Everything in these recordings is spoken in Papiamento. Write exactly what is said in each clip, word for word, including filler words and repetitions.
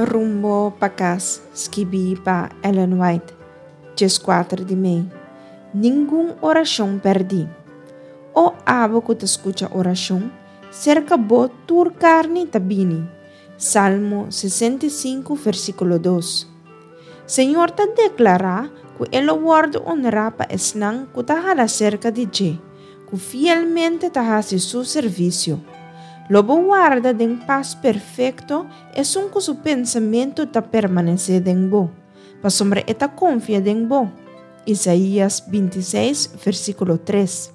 Rumbo pa kas, skibí pa Ellen White, dieskuater di mei. Ningun orashon pèrdí. O abo ku ta skucha orashon, serka bo tur karni ta bini. Salmo sesenta i sinku, versíkulo dos. Señor ta deklará ku e lo wòrdu honrá pa esnan ku ta hala serka di dje, ku fielmente ta hasi su servisio. Lo bo warda den pas perfekto esun ku su pensamentu ta permanesé den bo, pasobra e ta konfia den bo. Isaías binti i seis, versíkulo tres.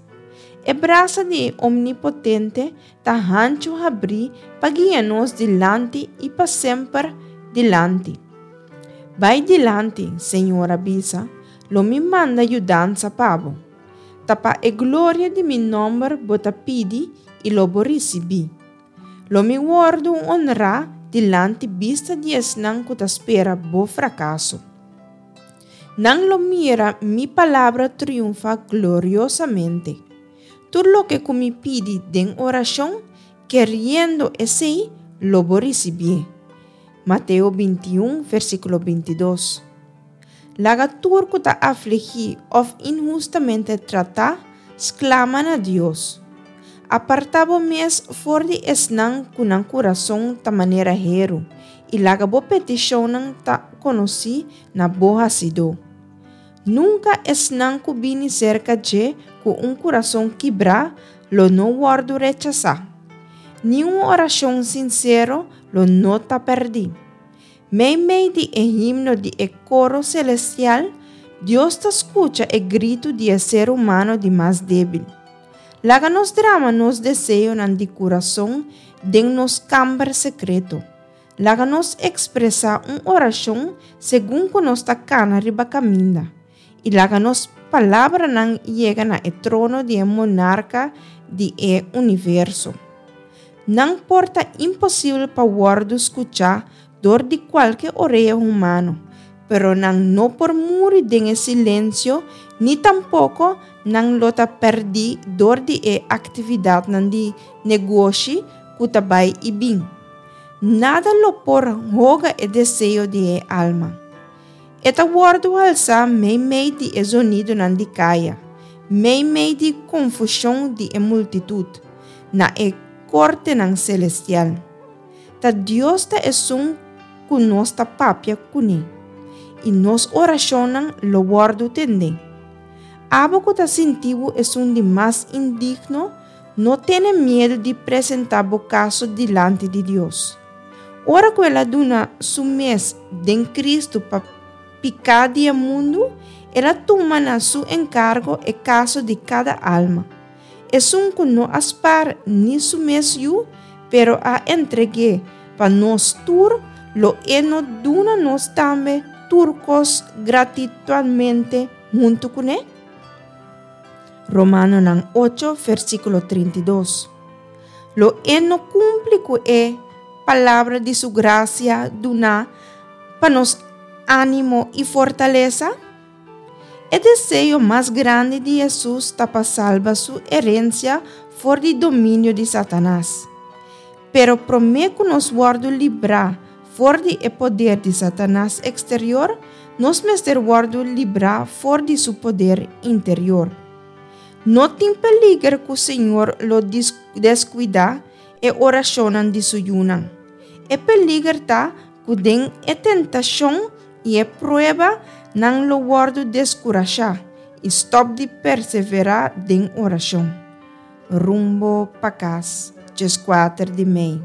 E brasa di e Omnipotente ta hanchu habrí pa guia nos dilanti i pa semper dilanti. Bai dilanti, Señor a bisa, lo mi manda yudansa pa bo. Ta pa e gloria di mi nòmber bo ta pidi i lo bo risibí. Lo mi wòrdu honrá dilanti bista di esnan ku ta spera bo frakaso. Nan lo mira mi palabra triunfá gloriosamente. Tur loke ku mi pidi den orashon, keriendo esei, lo bo risibié. Mateo binti i un, versíkulo binti i dos. Laga tur ku ta afligí òf inhustamente tratá, sklama na Dios. Apartá bo mes for di esnan ku nan kurason ta manera heru, i laga bo petishonnan ta konosí na bo Hasidó. Nunka esnan ku bini serka dje ku un kurason kibrá lo no wòrdu rechasá. Ni un orashon sinsero lo no ta pèrdí. Meimei di e himno di e koro selestial, Dios ta skucha e gritu di e ser humano di mas débil. Laga nos drama nos deseonan di kurason den nos kamber sekreto. Laga nos ekspresá un orashon segun ku nos ta kana riba kaminda. I laga nos palabranan yega na e trono di e monarka di e universo. Nan por ta imposibel pa wòrdu skuchá dor di kualke orea humano, pero nan no por muri den e silensio ni tampoko nan lo ta pèrdí dor di e aktividatnan di negoshi ku ta bai i bin. Nada lo por hoga e deseo di e alma. E ta wòrdu halsá meimei di e zonidonan di kaya, meimei di konfushon di e multitut, na e kortenan selestial. Ta Dios ta esun ku nos ta papia kuné, i nos orashonnan lo wòrdu tendé. Abo ku ta sinti bo esun di mas indigno, no tene miedu di presentá bo kaso dilanti di Dios. Ora ku el a duna su mes den Kristu pa piká di e mundu, el a tuma na su enkargo e kaso di kada alma. Esun ku no a spar ni su mes yu, pero a entreg'é pa nos tur, lo e no duna nos tambe tur kos gratuitamente huntu kuné? Romanonan ocho, versíkulo trinta i dos. Lo e no kumpli ku e palabra di su grasia duná pa nos ánimo i fortalesa? E deseo mas grandi di Hesus ta pa salba su herensia for di dominio di Satanas. Pero promé ku nos wòrdu librá for di e poder di Satanas eksterior, nos mester wòrdu librá for di su poder interior. No tin peliger ku Señor lo deskuidá e orashonnan di su yunan. E peliger ta ku den e tentashon i e prueba nan lo wòrdu deskurashá i stòp di perseverá den orashon. Rumbo pa kas, dieskuater di mei.